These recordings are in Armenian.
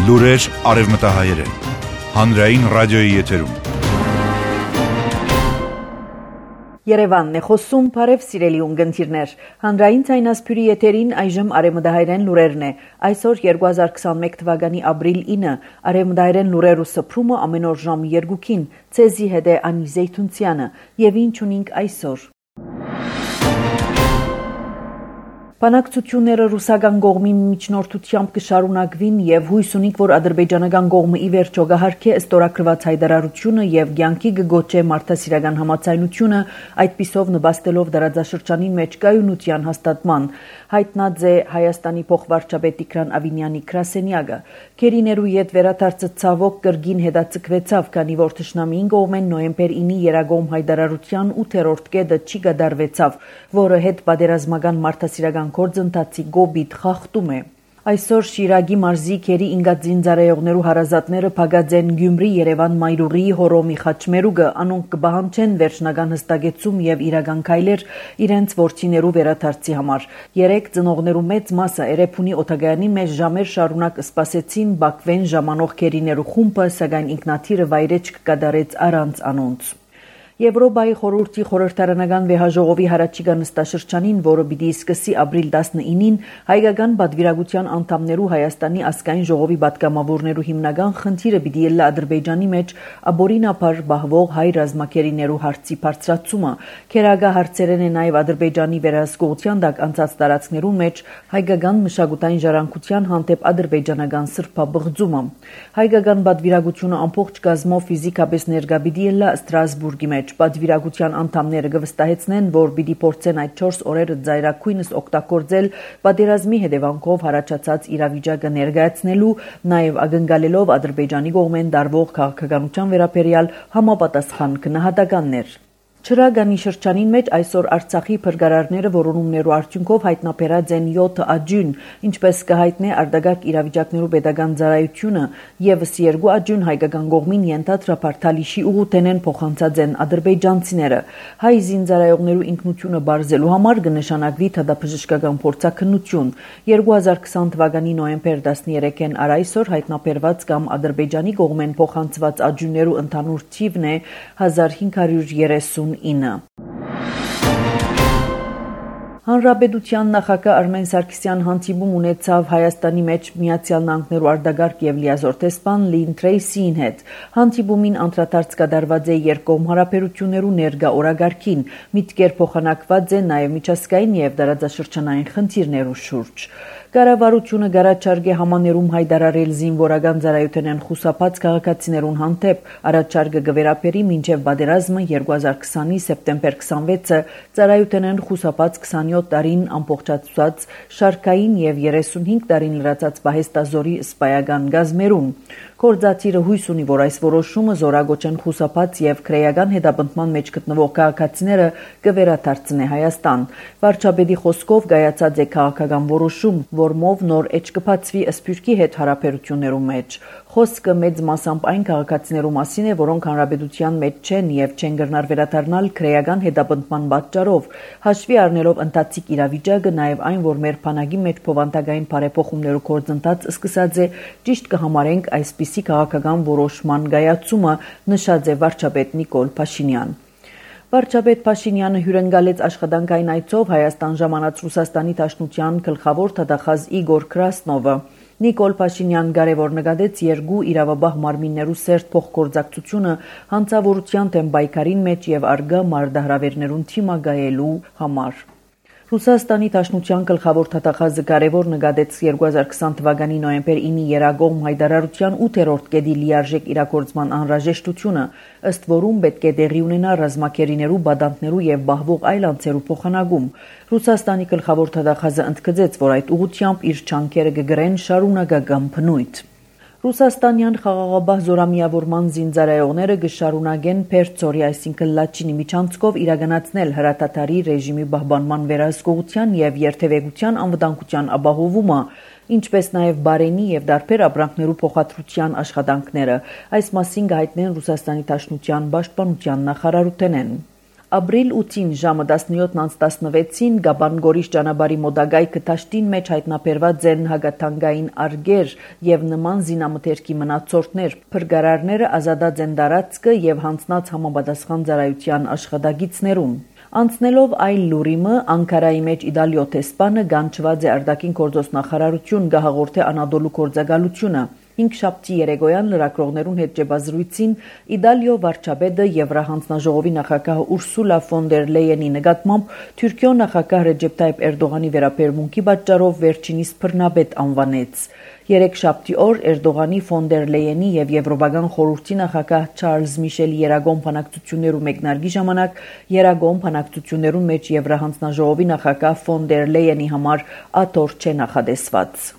Լուրեր արևմտահայերեն։ Հանրային ռադիոյի եթերում։ Երևանն է խոսում, բարև սիրելի ունգընտիրներ։ Հանրային ցայնասփյուրի եթերին այժմ արևմտահայերեն լուրերն է։ Այսօր 2021 թվականի ապրիլ 9 արևմտահայերեն լուրերու սփռումը ամեն օր ժամը 2-ին ցեզի հետ է Անի Զեյթունցյանը եւ ինչ ունենք այսօր։ Բանակցությունները ռուսական կողմի միջնորդությամբ կշարունակվին եւ հույս ունենք, որ ադրբեջանական կողմը ի վերջո կհարգի ստորագրված հայտարարությունը եւ կյանքի կգոչե մարդասիրական համաձայնությունը, այդպիսով նպաստելով դարաձաշրջանին մեջ կայունության հաստատման, հայտնած է Հայաստանի փոխվարչապետ Տիգրան Ավինյանի գրասենյակը։ Քերիներու յետ վերադարձը ցավոք կրգին հետաձգվեցավ, քանի որ թշնամին կողմեն նոյեմբեր 9-ի երագոմ հայտարարության 8-րդ կետը չի կդարվեցավ, որը հետ պատերազմական մարդասիրական գործընթացի գոբիտ խախտում է։ Այսօր Շիրագի մարզի քերի ինգածինձարայողներու հարազատները փակած են Գյումրի, Երևան, Մայրուղի, Հորոմի, Խաչմերուկը, անոնք կբահանջեն վերջնական հստակեցում եւ իրական քայլեր իրենց ворցիներու վերադարձի համար։ Երեք ծնողներու մեծ մասը Էրեբունի օթագայանի մեջ ժամեր շարունակ սպասեցին Բաքվեն ժամանող քերիներու խումբը, սակայն ինքնաթիռը վայրեջք կդարեց առանց անոնց։ Եվրոպայի խորհրդի խորհրդարանական վեհաժողովի հարաճիգա նստաշրջանին, որը պիտի սկսի ապրիլ 19-ին, հայկական պատվիրակության անդամներու Հայաստանի ազգային ժողովի պատգամավորներու հիմնական խնդիրը պիտի ելլա Ադրբեջանի մեջ ապօրինաբար բահվող հայ ռազմակերիներու հարցի բարձրացումը։ Քերագա հարցերեն է նաև Ադրբեջանի վերահսկողության տակ անցած տարածքներու մեջ հայկական մշակութային ժառանգության հանդեպ ադրբեջանական սրբաբղձումը։ Հայկական պատվիրակությունը ամբողջ գազմով ֆիզիկապես ներկա պիտի ելլա Ստրասբուրգի մեջ։ Պատվիրակության անդամները կվստահեցնեն, որ պիտի փորձեն այդ 4 օրերը ծայրակույնս օգտագործել պատերազմի հետևանքով հարաճած իրավիճակը ներկայացնելու, նաև ակնկալելով Ադրբեջանի կողմեն դարվող քաղաքականության վերաբերյալ համապատասխան գնահատականներ։ Չրագանի շրջանին մեջ այսօր Արցախի փրկարարները որոնումներու արդյունքով հայտնաբերած են 7 աջուն, ինչպես կհայտնի արտագաղթ իրավիճակներու պետական ծառայությունը, եւս 2 աջուն հայկական կողմին ենթադրաբար Թալիշի ուղուտենեն փոխանցած են ադրբեջանցիները։ Հայ զինծառայողներու ինքնությունը բարձելու համար կնշանակվի թադապժշկական փորձակնություն։ 2020 թվականի նոյեմբեր 13-ին այսօր հայտնաբերված կամ Ադրբեջանի կողմեն փոխանցված աջուններու ընդհանուր թիվն է 1539։ Հանրապետության նախագահ Արմեն Սարգսյան հանդիպում ունեցավ Հայաստանի մեջ Միացյալ Նահանգներու արտագաղթ եւ լիազոր տեսփան Լին Թրեյսիին հետ։ Հանդիպումին անդրադարձ կատարված է երկկողմ հարաբերություններու ներկա օրագարկին, միտքեր փոխանակված է նաեւ միջազգային եւ տարածաշրջանային խնդիրներու շուրջ։ Կառավարությունը գարաչարգե համաներում հայտարարել զինվորական ծառայությունեն խուսափած քաղաքացիներուն հանդեպ առաջարկը կվերապերի մինչև պատերազմը 2020-ի սեպտեմբեր 26-ը ծառայությունեն խուսափած 27 տարին ամբողջացված շարքային եւ 35 տարին լրացած պահեստազորի սպայական գազմերուն։ Գործադիրը հույս ունի, որ այս որոշումը զորագոչեն խուսափած եւ քրեական հետապնդման մեջ գտնվող քաղաքացիները կվերադարձնի Հայաստան։ Վարչապետի խոսքով կայացած է քաղաքական որոշում, որմով նոր էջ կբացվի Սփյուռքի հետ հարաբերություններու մեջ։ Խոսքը մեծ մասամբ այն քաղաքացիներու մասին է, որոնք հանրապետության մեջ չեն եւ չեն գտնար վերադառնալ քրեական հետապնդման պատճառով։ Հաշվի առնելով ընթացիկ իրավիճակը, նաեւ այն, որ մեր բանակի մեջ փոխանցագային բարեփոխումներու գործընթաց սկսած է, ճիշտ կհամարենք այսպիսի քաղաքական որոշման կայացումը, նշած է վարչապետ Նիկոլ Փաշինյան։ Վարչապետ Փաշինյանը հյուրընկալեց աշխատանքային այցով Հայաստան ժամանած Ռուսաստանի Դաշնության գլխավոր թագախազ Իգոր Կրասնովը։ Նիկոլ Փաշինյան կարևոր նկատեց երկու իրավաբահ մարմիններու սերտ փոխգործակցությունը հանցավորության դեմ պայքարին մեջ եւ արգա մարտահրավերներուն թիմակայելու համար։ Ռուսաստանի Դաշնության գլխավոր թագախազը կարևոր նկատեց 2020 թվականի նոյեմբեր 9-ի երագոմ հայտարարության 8-րդ կետի լիարժեք իրագործման անհրաժեշտությունը, ըստ որում պետք է տեղի ունենա ռազմակերիներու, բադանտներու եւ բահվող այլ անձերու փոխանակում։ Ռուսաստանի գլխավոր թագախազը ընդգծեց, որ այդ ուղղությամբ իր չանքերը կգրեն շարունակական բնույթ։ Ռուսաստանյան խաղաղաբահ զորամիավորման զինծառայողները կշարունակեն Պերձորի, այսինքն Լաչինի միջանցքով իրականացնել հրատատարի ռեժիմի պահպանման վերահսկողության եւ երթևեկության անվտանգության ապահովումը, ինչպես նաեւ բարենի եւ դարբեր ապրանքներու փոխադրության աշխատանքները։ Այս մասին կհայտնեն Ռուսաստանի Դաշնության պաշտպանության նախարարութենեն։ Ապրիլ 8-ին ժամը 17:16-ին Գաբան-Գորիս ճանապարհի մոդագայ կտաշտին մեջ հայտնաբերված են հագաթանգային արգեր եւ նման զինամթերքի մնացորդներ։ Փրկարարները ազատած են տարածքը եւ հանձնած համապատասխան ծառայության աշխատագիծներուն։ Անցնելով այլ լուրիմը, Անկարայի մեջ Իտալիո տեսփանը գանչված է արտաքին գործոս նախարարություն գահաղորդե Անադոլու գործակալությունը։ 5 շաբթի երեկոյան լրագրողներուն հետ ճեպազրույցին Իտալիո վարչապետը Եվրահանձնաժողովի նախագահ Ուրսուլա ֆոն դեր Լեյենի նկատմամբ Թուրքիո նախագահ Ռեջեփ Տայիպ Էրդողանի վերաբերմունքի պատճառով վերջինիս բռնապետ անվանեց։ 3 շաբթի օր Էրդողանի ֆոն դեր Լեյենի եւ Եվրոպական խորհրդի նախագահ Չարլզ Միշելի երագոմ բանակցություններու մեկնարկի ժամանակ երագոմ բանակցություններուն մեջ Եվրահանձնաժողովի նախագահ ֆոն դեր Լեյենի համար աթոռ չէ նախադեсված։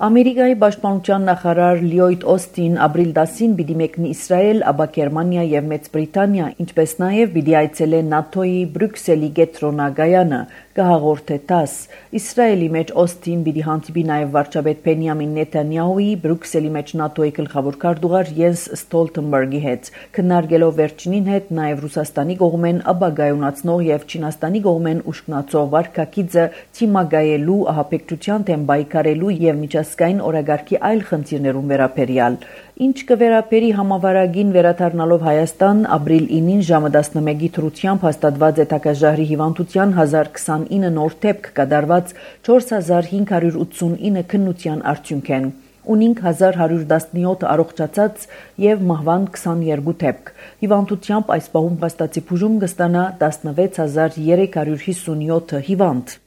Ամերիկայի պաշտպանության նախարար Լյոյդ Օստին ապրիլ 10-ին պիտի մեկնի Իսրայել, ապա Գերմանիա եւ Մեծ Բրիտանիա, ինչպես նաեւ պիտի այցելե ՆԱՏՕ-ի Բրյուսելի կենտրոնագայանը, կհաղորդե ՏԱՍ։ Իսրայելի մեջ Օստին պիտի հանդիպի նաեւ վարչապետ Բենյամին Նեթանյահուի, Բրյուսելի մեջ ՆԱՏՕ-ի գլխավոր քարտուղար Յենս Ստոլտենբերգի հետ, քննարկելով վերջինին հետ նաեւ Ռուսաստանի կողմեն ապագայունացնող եւ Չինաստանի կողմեն ուշքնացող վարկագիծը թիմագայելու, ահաբեկչության դեմ պայքարելու եւ միջազգային օրագարկի այլ խնդիրներուն վերաբերյալ։ Ինչ կվերապերի համավարակին վերադառնալով Հայաստան, ապրիլ 9-ին ժամը 11-ի թրությամբ հաստատված է Թակաժահրի հիվանդության 1029 նոր դեպք կատարված 4589 քննության արդյունքեն։ Ունինք 1117 առողջացած եւ մահվան 22 դեպք։ Հիվանդությամբ այս պահում վաստացի բուժում կստանա 16357 հիվանդ։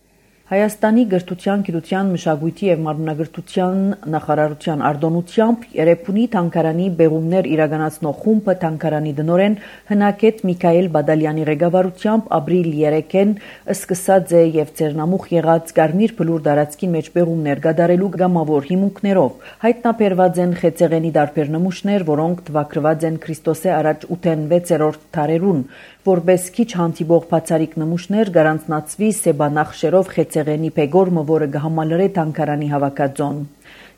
Հայաստանի գրթության, գիտության, մշակույթի եւ մարմնագրթության նախարարության արտոնությամբ Երևանի թանգարանի բեղումներ իրականացնող խումբը թանգարանի տնօրեն Հնակետ Միքայել Բադալյանի ղեկավարությամբ ապրիլ 3-ին սկսած է եւ ծերնամուխ եղած Կարմիր բլուր տարածքի մեջ բեղումներ կատարելու գամավոր հիմունքներով։ Հայտնաբերված են խեցեղենի տարբեր նմուշներ, որոնք թվակրված են Քրիստոսե առաջ 8-6-րդ դարերուն, որպես քիչ հանդիպող բացարիք նմուշներ գարանցնացվի սեբանախշերով խեցեղենի պեգորմը, որը կհամալրե թանգարանի հավաքածոն։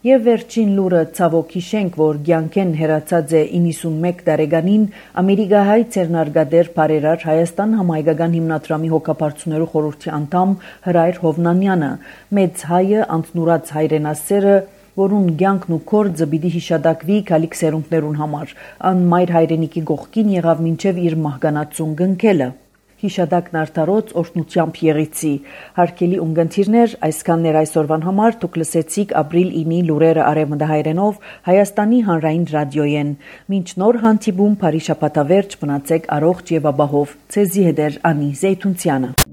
Եվ վերջին լուրը ցավոք հիշենք, որ կյանքեն հեռացած է 91 տարեկանին ամերիկահայ ցերնարգադեր բարերար Հայաստան համահայկական հիմնադրամի հոգապարծուներու խորհրդի անդամ Հրայր Հովնանյանը, մեծ հայը անտնուրած հայրենասերը, որուն կյանքն ու կորձը պիտի հիշադակվի գալիք սերունդներուն համար, անմայր հայրենիքի կողքին եղավ մինչև իր մահկանացուն կնքելը։ Հիշադակն արդարոց օրհնությամբ եղիցի։ Հարգելի ունկնդիրներ, այսքաններ այսօրվան համար դուք լսեցիք ապրիլ 9-ի լուրերը արևմտահայերենով Հայաստանի հանրային ռադիոյեն։ Մինչ նոր հանդիպում, բարի շաբաթավերջ, մնացեք առողջ եւ ապահով։ Ցեզի հետ Անի Զեյթունցյանը։